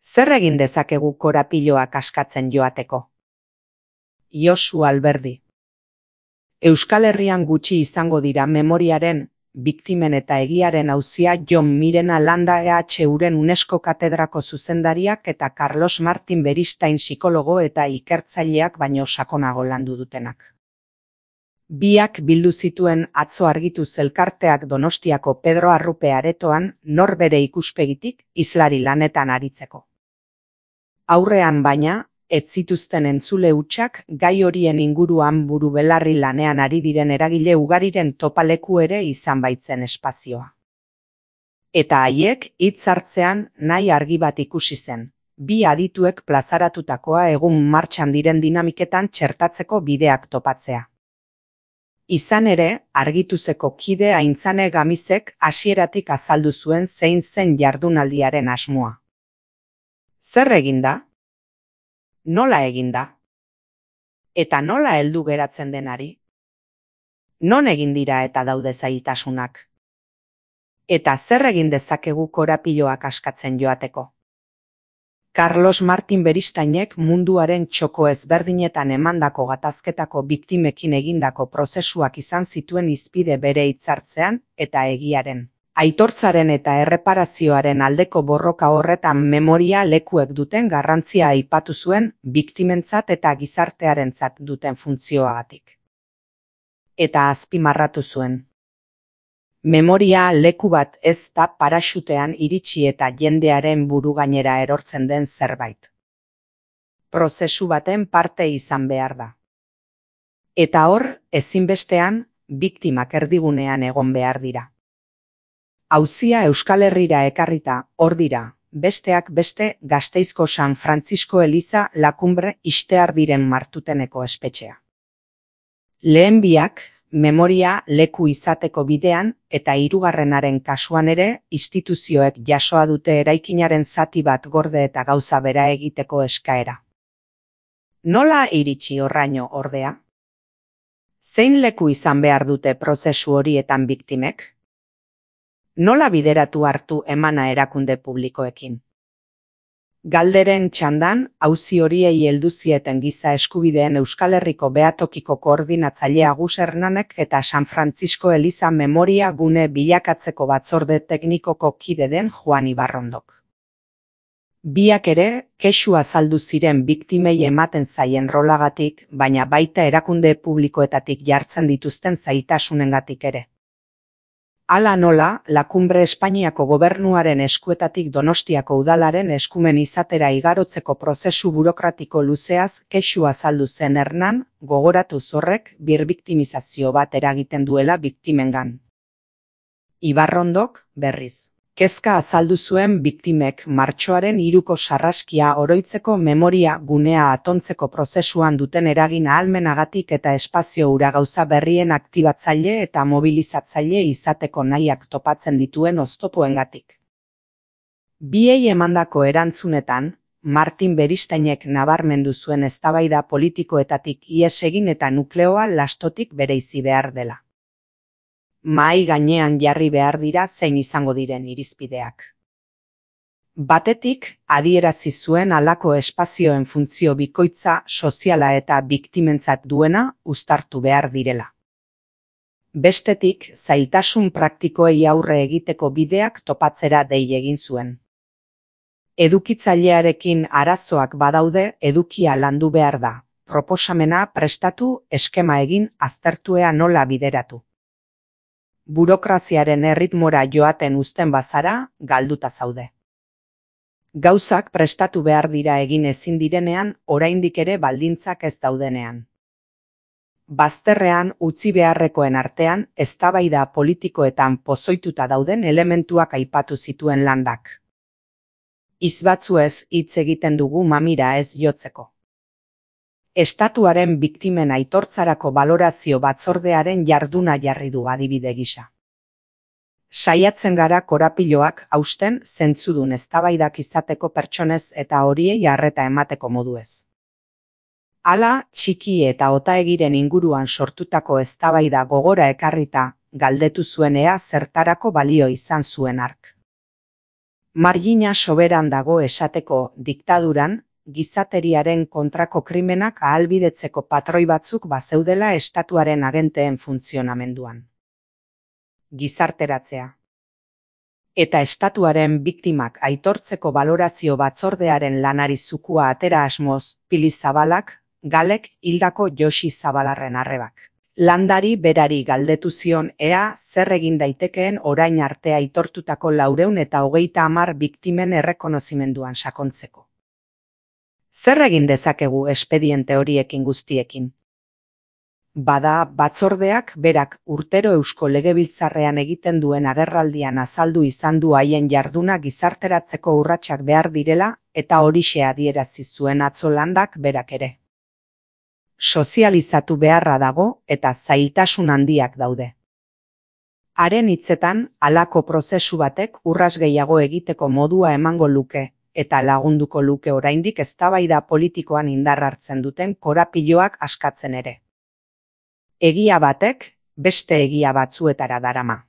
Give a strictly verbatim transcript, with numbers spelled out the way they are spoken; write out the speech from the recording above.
Zer egin dezakegu korapiloak askatzen joateko? Josu Alberdi. Euskal Herrian gutxi izango dira memoriaren, biktimen eta egiaren auzia Jon Mirena Landa E H Uren UNESCO katedrako zuzendariak eta Carlos Martin Beristain psikologo eta ikertzaileak baino sakonago landu dutenak. Biak bildu zituen atzo argitu elkarteak Donostiako Pedro Arrupe aretoan nor bere ikuspegitik islari lanetan aritzeko. Aurrean baina, ez zituzten entzule hutsak gai horien inguruan buru belarri lanean ari diren eragile ugariren topaleku ere izan baitzen espazioa. Eta haiek hitz hartzean nahi argi bat ikusi zen, bi adituek plazaratutakoa egun martxan diren dinamiketan txertatzeko bideak topatzea. Izan ere, Argituzeko kide Aintzane Gamizek hasieratik azaldu zuen zein zen jardunaldiaren asmoa. Zer eginda? Nola eginda? Eta nola heldu geratzen denari? Non egin dira eta daude zailtasunak? Eta zer egin dezakegu korapiloak askatzen joateko? Carlos Martin Beristainek munduaren txoko ezberdinetan emandako gatazketako biktimekin egindako prozesuak izan zituen hizpide bere hitzartzean eta egiaren, aitortzaren eta erreparazioaren aldeko borroka horretan memoria lekuek duten garrantzia aipatu zuen biktimentzat eta gizartearentzat duten funtzioagatik. Eta azpimarratu zuen. Memoria leku bat ez da paraxutean iritsi eta jendearen buru gainera erortzen den zerbait. Prozesu baten parte izan behar da. Eta hor, ezinbestean, biktimak erdigunean egon behar dira. Auzia Euskal Herrira ekarrita, hor dira, besteak beste Gasteizko San Francisco Eliza Lakumbre Istear diren Martuteneko espetxea. Lehen biak, memoria leku izateko bidean eta hirugarrenaren kasuan ere instituzioek jasoa dute eraikinaren zati bat gorde eta gauza bera egiteko eskaera. Nola iritsi horraino ordea? Zein leku izan behar dute prozesu horietan biktimek? Nola bideratu hartu emana erakunde publikoekin? Galderen txandan, auzi horiei heldu zieten giza eskubideen Euskal Herriko Behatokiko koordinatzaile Agus Hernanek eta San Francisco Eliza Memoria gune bilakatzeko batzorde teknikoko kide den Juan Ibarrondok. Biak ere, kexu azaldu ziren biktimei ematen zaien rolagatik, baina baita erakunde publikoetatik jartzen dituzten zailtasunengatik ere. Hala nola, Lakumbre Espainiako gobernuaren eskuetatik Donostiako udalaren eskumen izatera igarotzeko prozesu burokratiko luzeaz kexu azaldu zen Hernan, gogoratu horrek birbiktimizazio bat eragiten duela biktimengan. Ibarrondok, berriz, kezka azaldu zuen biktimek martxoaren hiruko sarraskia oroitzeko memoria gunea atontzeko prozesuan duten eragin ahalmenagatik eta espazio hura gauza berrien aktibatzaile eta mobilizatzaile izateko nahiak topatzen dituen oztopoengatik. Biei emandako erantzunetan, Martin Beristainek nabarmendu zuen eztabaida politikoetatik ihes egin eta nukleoa lastotik bereizi behar dela. Mahai gainean jarri behar dira zein izango diren irizpideak. Batetik, adierazi zuen halako espazioen funtzio bikoitza soziala eta biktimentzat duena uztartu behar direla. Bestetik, zailtasun praktikoei aurre egiteko bideak topatzera dei egin zuen. Edukitzailearekin arazoak badaude edukia landu behar da, proposamena prestatu, eskema egin, aztertuea nola bideratu. Burokraziaren erritmora joaten uzten bazara, galduta zaude. Gauzak prestatu behar dira egin ezin direnean, oraindik ere baldintzak ez daudenean. Bazterrean utzi beharrekoen artean, eztabaida politikoetan pozoituta dauden elementuak aipatu zituen Landak. Izbatzuez hitz egiten dugu mamira ez jotzeko. Estatuaren biktimen aitortzarako balorazio batzordearen jarduna jarri du adibide gisa. Saiatzen gara korapiloak hausten zentzudun eztabaidak izateko pertsonez eta horiei arreta emateko moduez. Hala, txiki eta otaegiren inguruan sortutako eztabaida gogora ekarrita, galdetu zuen ea zertarako balio izan zuen hark. Margina soberan dago esateko diktaduran, gizateriaren kontrako krimenak ahalbidetzeko patroi batzuk bazeudela estatuaren agenteen funtzionamenduan. Gizarteratzea. Eta estatuaren biktimak aitortzeko balorazio batzordearen lanari zukua atera asmoz, Pili Zabalak, Galek hildako Josi Zabalarren arrebak. Landari berari galdetu zion ea zer egin daitekeen orain arte aitortutako laurehun eta hogeita hamar biktimen errekonozimenduan sakontzeko. Zer egin dezakegu espediente horiekin guztiekin? Bada, batzordeak berak urtero Eusko Legebiltzarrean egiten duen agerraldian azaldu izan du haien jarduna gizarteratzeko urratsak behar direla eta horixe adierazi zuen atzo Landak berak ere. Sozializatu beharra dago eta zailtasun handiak daude. Haren hitzetan, halako prozesu batek urras gehiago egiteko modua emango luke, eta lagunduko luke oraindik eztabaida politikoan indar hartzen duten korapiloak askatzen ere. Egia batek, beste egia batzuetara darama.